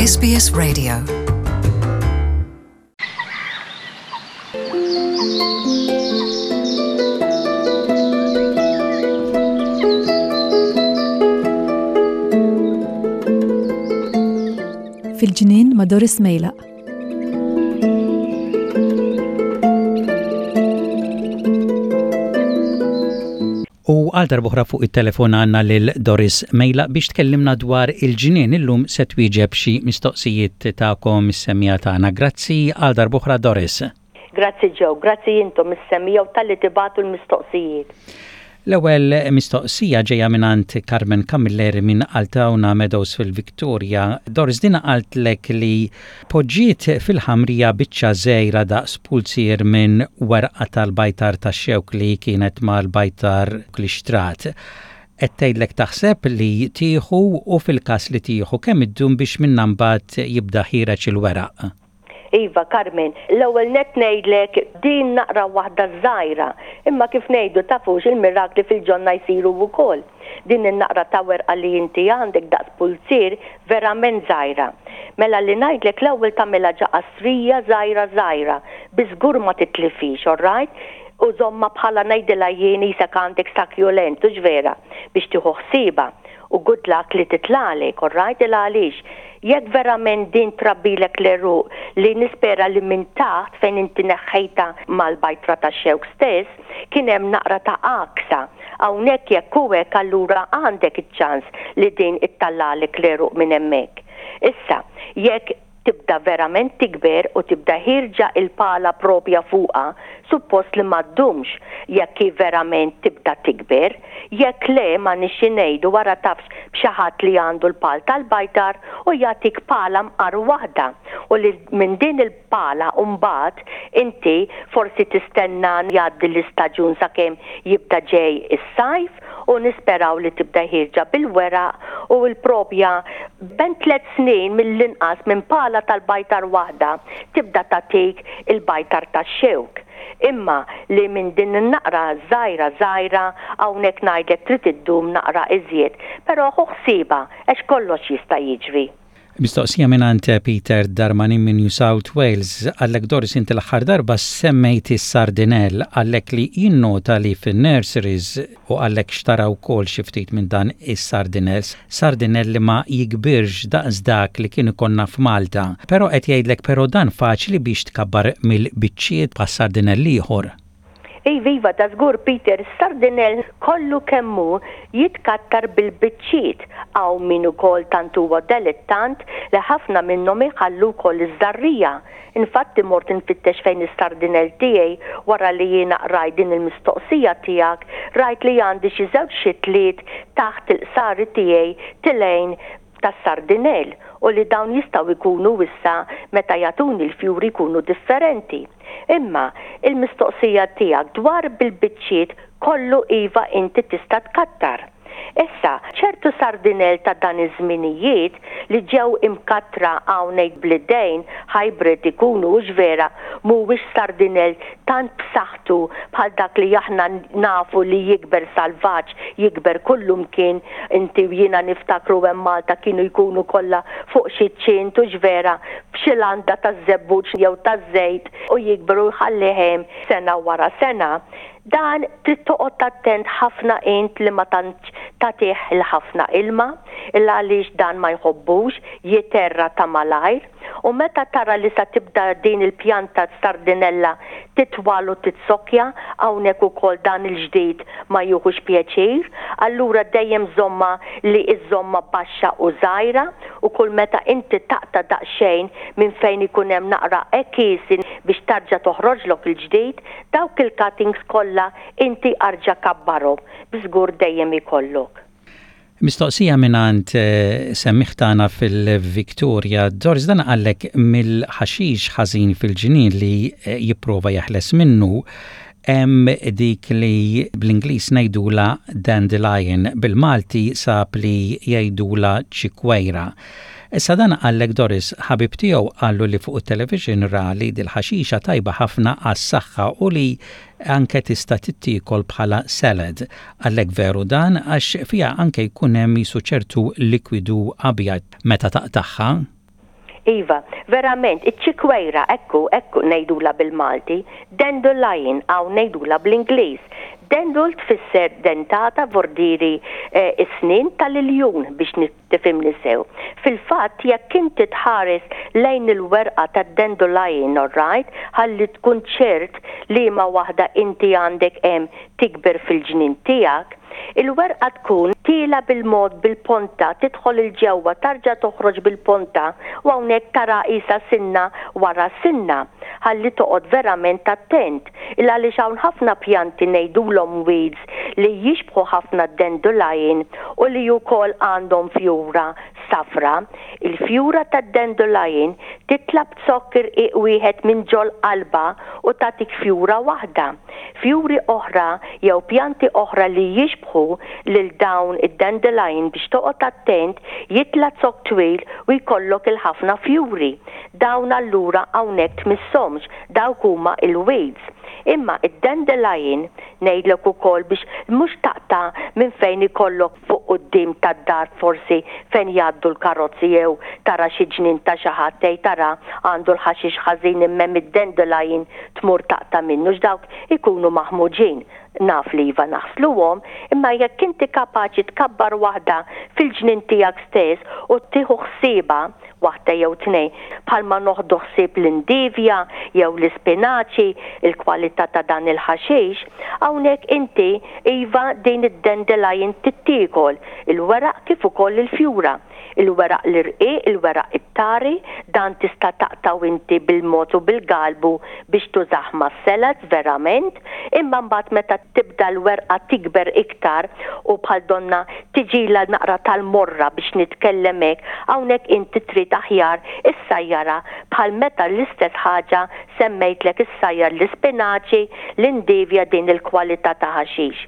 SBS Radio. Fil-ġnien ma' Doris Mejlaq. U għal darbohra fuq it-telefon għandna lil Doris Mejla biex tkellimna dwar il-ġnien illum se twieġeb xi mistoqsijiet tagħkom is-semmiegħa tagħna. Grazzi għal darbohra Doris. Grazzi Joe, grazzi intom is-semmiegħa u talli tibagħtu l-mistoqsijiet. L-ewwel mistoqsija ġejja mingħand Carmen Camilleri minn Altawna Meadows fil-Victoria. Doris din qaltlek li poġġiet fil-ħamrija biċċa żgħira daqs pulzier minn werqa tal-bajtar tax-xewk li kienet mal-bajtar li xtrat. Qed tgħidlek taħseb li tieħu u fil-każ li tieħu kemm iddum biex minnha mbagħad jibda ħiereġ il-weraq? Iva, Carmen, l-ewwel nett ngħidlek din naqra waħda żgħira, imma kif ngħidu tafux il-mirakli fil-ġonna jsiru wkoll. Din in-naqra ta' werqa li inti għandek daqs pulzier verament żgħira. Mela li ngħidlek l-ewwel tagħmilha ġa qastrija żgħira żgħira biss żgur ma titlifhiex, alright? U żommha bħala ngħidilha jien qisek għandek succulent, hux vera, biex tieħu ħsiebha. U good luck li titlagħlek, alright, il għaliex jekk verament din trabbilek l-għeruq li nispera li minn taħt fejn inti neħħejtha mal-bajtra tax-xewk stess kien hemm naqra ta' għaksa. Hawnhekk jekk hu hekk allura għandek iċ-ċans li din ittallagħlek l-għeruq minn hemmhekk. Issa, jekk tibda verament tikber u tibda ħierġa il-pala propja fuqha, suppost li ma ddumx jekk hi verament tibda tikber. Jekk le, m'għandniex xi ngħidu, ara tafx b'xi ħadd li għandu l-pal tal-bajtar u jagħtik pala mqar waħda u li minn din il-pala mbagħad inti forsi tistenna jgħaddi l-istaġun sakemm jibda ġej is-sajf u nisperaw li tibda ħierġa bil-weraq u l-propja bejn tlett snin mill-inqas minn pala tal-bajtar waħda tibda tagħtik il-bajtar tax-xewk. Imma li minn din in-naqra żgħira żgħira hawnhekk ngħidlek trid iddum naqra iżjed. Però ħu ħsiebha għax kollox jista' jiġri. Mistoqsija mingħand Peter Darmanin minn New South Wales, Qallek Doris inti l-aħħar darba semmejt is-sardinell, qallek li jinnota li fin-nurseries u qallek xtara wkoll xi ftit minn dan is-sardinell, sardinell li ma jikbirx daqs dak li kien ikollna f'Malta. Però qed jgħidlek però dan faċli biex tkabbar mill-biċċiet bħas-sardinell ieħor. Iva, iva, ta' żgur Peter, is-sardinell kollu kemm hu jitkattar bil-biċċiet. Hawn min ukoll tant huwa delettant li ħafna minnhom iħallu wkoll iż-żarrija. Infatti mort infittex fejn is-sardinell tiegħi wara li jiena qrajt din il-mistoqsija tiegħek, rajt li għandi xi żewġ xitliet taħt il-qsari tiegħi tilgħin tas-sardinell u li dawn jistgħu jkunu issa meta jagħtuni l-fjuri jkunu differenti. Imma, il-mistoqsija tiegħek dwar bil-biċċiet kollu iva inti tista' tkattar. Issa, ċertu sardinell ta' dan iż-żminijiet li ġew imkattra hawn ngħid bl-idejn, hybrid ikunu hux vera, mhuwiex sardinell tant b'saħħtu bħal dak li aħna nafu li jikber salvaġġ, jikber kullumkien, inti u jiena niftakru hemm Malta kienu jkunu kollha fuq xi ċint hux vera, f'xi landa taż-żebbuġ jew taż-żejt u jikber u jħallih hemm sena wara sena. Dan trid toqgħod attent ħafna int li ma tantx tagħtih il-ħafna ilma, il għaliex dan ma jħobbux, jiterra ta' malajr. U meta tara li sa tibda din il-pjanta sardinella titwal u titsokkja, hawnhekk ukoll dan il-ġdid ma jieħux pjaċir, allura dejjem żommha li iżżommha baxxa u żgħira u kull meta inti taqta' daqsxejn minn fejn ikun hemm naqra għekiesi biex tarġa' toħroġlok il-ġdid, dawk il-cuttings kollha inti arġa' kabbarhom, b'żgur dejjem ikollok. Mistoqsija mingħand semmiegħ tagħna fil-Victoria, Doris dan qallek mill-ħaxix ħażin fil-ġnien li jipprova jeħles minnu hemm dik li bl-Ingliż ngħidulha dandelion, bil-Malti sab li jgħidulha ċikwejra. Issa dan qallek Doris, ħabib tiegħu qallu li fuq it-television ra li dil-ħaxixa tajba ħafna għas-saħħa u li Anke tista' tittiekol bħala salad. Għalhekk veru dan għax fiha anke jkun hemm qisu ċertu likwidu abjad meta taqtagħha. Iva, verament, iċ-ċikwejra, ekku, ekku ngħidulha bil-Malti, dandelion hawn ngħidulha bl-Ingliż. Dandel tfisser dentata vordieri s-snien tal-iljun biex tifhimni sew. Fil-fatt jekk inti tħares lejn il-werqa tad-dandelion alright, ħalli tkun ċert liema waħda inti għandek hemm tikber fil-ġnien tiegħek, il-werqa tkun tiela' bil-mod bil-ponta tidħol 'il ġewwa tarġa' toħroġ bil-ponta u hawnhekk tara qisha sinna wara sinna. Ħalli toqgħod verament attent il għaliex hawn ħafna pjanti ngħidulhom weeds li jixbħu ħafna d-dandelion u li wkoll għandhom fjura safra. Il-fjura tad-dandelion titla' b'zokk irqiq wieħed minn ġol-qalba u tagħtik fjura waħda. Fjuri oħra jew pjanti oħra li jixbħu lil dawn id-dandelion biex toqgħod attent jitla' zokk twil u jkollok il-ħafna fjuri. Dawn allura hawnhekk tmisshomx, dawk huma il-weeds. Imma id-dandelion ngħidlek ukoll biex mhux taqta' minn fejn ikollok fuq quddiem tad-dar forsi fejn jgħaddu l-karozzi jew tara xi ġnien ta' xi ħadd tgħid ara għandu l-ħaxix ħażin imma hemm id-dandelion tmur taqta' minnu x'dawk ikunu maħmuġin. Naf li iva naħsluhom, imma jekk inti kapaċi tkabbar waħda fil-ġnien tiegħek stess u tieħu ħsiebha, waħda jew tnejn, bħalma noħdu ħsieb l-indivja jew l-ispinaċi, il-kwalità ta' dan il-ħaxix, hawnhekk inti iva din id-dandelion tittiekol, il-weraq kif ukoll il-fjura. Il-weraq l-irqiq, il-weraq it-tari, dan tista' taqtgħu inti bil-mod u bil-galbu biex tużah mas-salads verament, imma mbagħad meta tibda l-werqa tikber iktar u bħal donnha tiġilha naqra tal-morra biex nitkellem hekk, hawnhekk inti trid aħjar issajjarha bħal meta l-istess ħaġa semmejtlek issajjar l-ispinaċi, l-indivja din il-kwalità ta' ħaxix.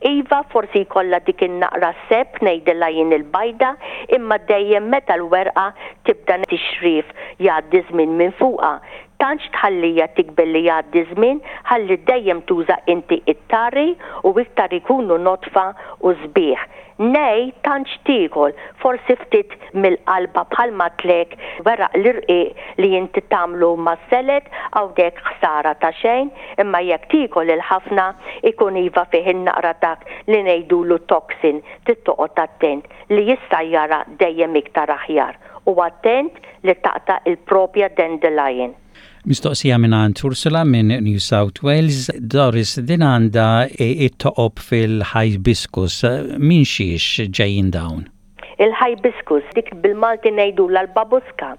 Iva forsi jkollha dik in-naqra seb ngħidilha jien il-bajda imma dejjem meta l-werqa tibda tixrief jgħaddi żmien minn fuqha. Tantx tħallija tikber li jgħaddi żmien ħalli dejjem tuża inti it-tari u iktar ikunu nodfa u sbieħ. Nej tantx tiekol, forsi ftit mill-qalba bħal m'għadtlek weraq l-irqiq li inti tagħmlu mas-salad hawnhekk ħsara ta' xejn, imma jekk tiekol il-ħafna ikun iva fih in-naqra dak li ngħidulu toxin trid toqgħod attent li issajjarha dejjem iktar aħjar u attent li taqta' il-propja dandelion. Mistoqsija mingħand Ursula minn New South Wales, Doris, din għandha it-toqob fil-hibiscus, minn xiex ġejjin dawn? Il-hibiscus, dik bil-Malti ngħidulha l-babuska.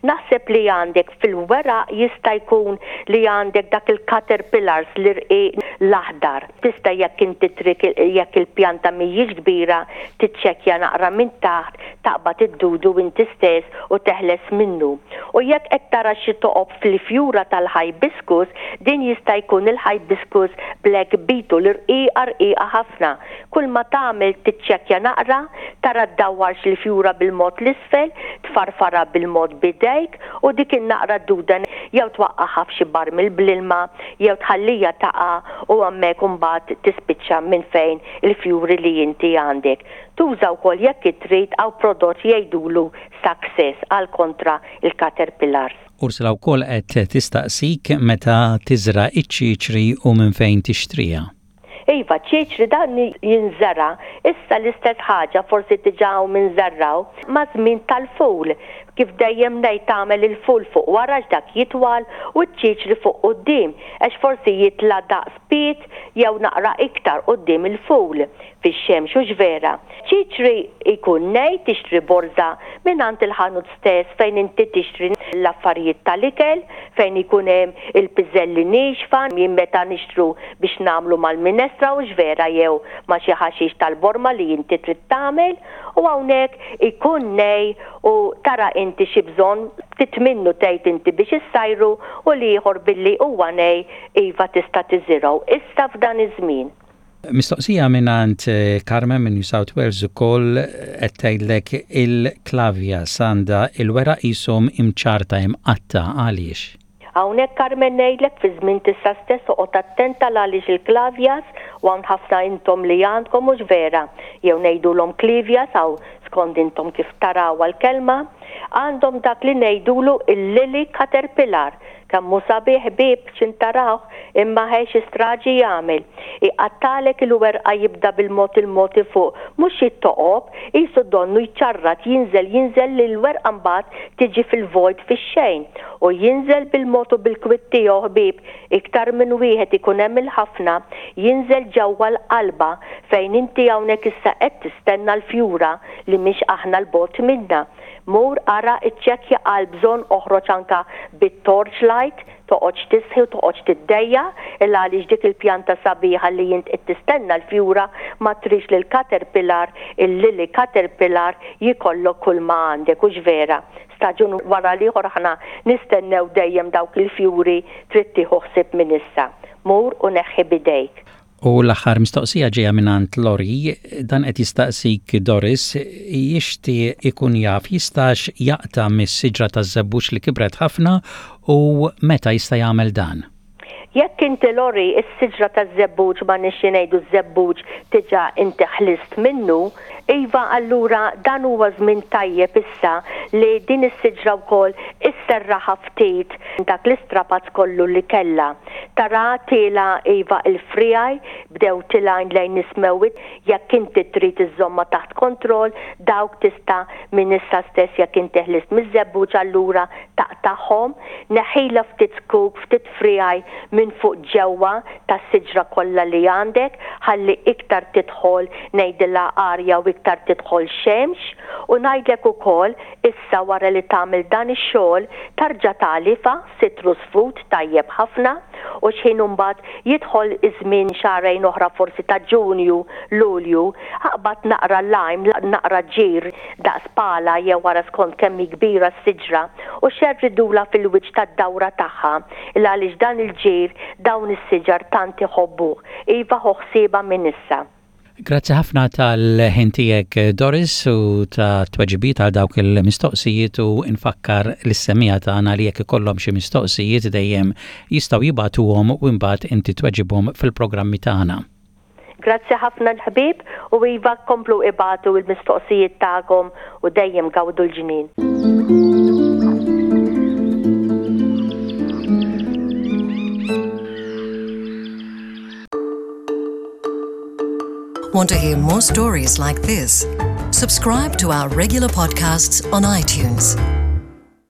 Naħseb li għandek fil-weraq jista' jkun li għandek dak il-caterpillars l-irqiq l-aħdar. Tista' jekk inti trid jekk il-pjanta mhijiex kbira tiċċekkja naqra minn taħt taqbad id-dudu inti stess u teħles minnu. U jekk qed tara xi toqob fil-fjura tal-hibiscus, din jista' jkun il-hibiscus black beetle irqiqa rqiqa ħafna. Kull ma tagħmel tiċċekkja naqra, tara ddawwarx il-fjura bil-mod 'l isfel, tfarfarha bil-mod b'idejk u dik in-naqra duda jew twaqqagħha f'xi barmil bl-ilma jew tħallija taqa' u hemmhekk imbagħad tispiċċa minn fejn il-fjuri li inti għandek. Tuża wkoll jekk trid hawn prodott jgħidulu Success għal kontra l-caterpillars. Ursula wkoll qed tistaqsik meta tiżra' iċ-ċiċri u minn fejn tixtriha. Iva, ċiċri dan jinżera', issa l-istess ħaġa forsi diġà hawn min żergħu, maż-żmien tal-ful. Kif dejjem ngħid tagħmel il-ful fuq wara għax dak jitwal u ċ-ċiċri fuq quddiem għax forsi jitla' daqs pied jew naqra iktar quddiem il-ful. Fix-xemx hux vera? Ċiċri jkun nej tixtri borża mingħand il-ħanut stess fejn inti tixtri l-affarijiet tal-ikel, fejn ikun hemm il-piżelli niexfa, jien meta nixtru biex nagħmlu mal-minestra hux vera jew ma' xi ħaxix tal-borma li inti trid tagħmel u hawnhekk ikun nej u tara inti xi bżonn ftit minnu tgħid inti biex issajru u l-ieħor billi huwa nej iva tista' tiżirgħu issa f'dan iż-żmien. Mistoqsija mingħand Carmen minn New South Wales ukoll qed tgħidlek il-klavias għandha il-weraq qishom imċarta imqatta' għaliex? Hawnhekk Carmen ngħidlek fi żmien t'issa stess oqgħod attent għal għaliex il-klavias u hawn ħafna intom li għandkom mhux vera jew ngħidulhom clivias hawn skond intom kif tarawha l-kelma. Għandhom dak li ngħidulu il-lily caterpillar. Kemm hu sabiħ ħbieb x'int tarawh imma ħe xi straġi jagħmel. Iqattagħlek il-werqa jibda bil-mod il-mod ifuq mhux xi toqob, qisu donnu jċarrat jinżel jinżel li l-werqa mbagħad tiġi fil-vojt fix-xejn. U jinżel bil-mod u bil-kwiet tiegħu ħbieb iktar minn wieħed ikun hemm il-ħafna jinżel ġewwa l-qalba fejn inti hawnhekk issa qed tistenna l-fjura li mhix aħna 'l bogħod minnha. Mur ara iċċekkja għal bżonn oħroġ anka bit-torch light, toqgħodx tistħi u toqgħodx tiddejjaq il għaliex dik il-pjanta sabiħa li int qed tistenna l-fjura ma tridx li l-caterpillar, il-lily caterpillar jikollok kull ma għandek, hux vera? Staġun wara l-ieħor aħna nistennew dejjem dawk il-fjuri trid tieħu ħsieb minn issa. Mur u neħħi b'idejk. U l-aħħar mistoqsija ġejja mingħand Lori, dan qed jistaqsik Doris, jixtieq ikun jaf jistax jaqta' mis-siġra taż-żebbuġ li kibret ħafna u meta jista' jagħmel dan? Jekk inti Lori s-siġra taż-żebbuġ ma nixxi ngħidu ż-żebbuġ diġà inti ħlist minnu, iva allura dan huwa żmien tajjeb issa li din is-siġra wkoll isserraħha ftit dak l-istrapazz kollu li kellha. Tara tiela' iva il-friegħi bdew tilgħin lejn is-smewwiet jekk inti trid iżżommha taħt kontroll dawk tista' minn issa stess jekk inti ħlist miż-żebbuġ allura taqtagħhom neħħilha ftit zkuk ftit friegħi minn fuq ġewwa tas-siġra kollha li għandek ħalli iktar tidħol ngħidilha arja u iktar tidħol xemx u ngħidlek ukoll issa wara li tagħmel dan ix-xogħol tarġa' tagħlifha citrus fruit tajjeb ħafna u x'ħin imbagħad jidħol iż-żmien xahrejn oħra forsi ta' Ġunju, Lulju, aqbad naqra lime, naqra ġir daqs pala jew ara skont kemm hi kbira s-siġra u xerridulha fil-wiċċ tad-dawra tagħha il għaliex dan il-ġir dawn is-siġar tant iħobbuh. Iva ħu ħsiebha minn issa. Grazzi ħafna tal-ħin tiegħek Doris u ta' tweġibiet għal dawk il-mistoqsijiet u nfakkar lis-semmiegħa tagħna li jekk ikollhom xi mistoqsijiet dejjem jistgħu jibagħtuhom u imbagħad inti tweġibhom fil-programmi tagħna. Grazzi ħafna l-ħbieb u iva komplu ibagħtu l-mistoqsijiet tagħkom u dejjem gawdu l-ġnien. Want to hear more stories like this? Subscribe to our regular podcasts on iTunes.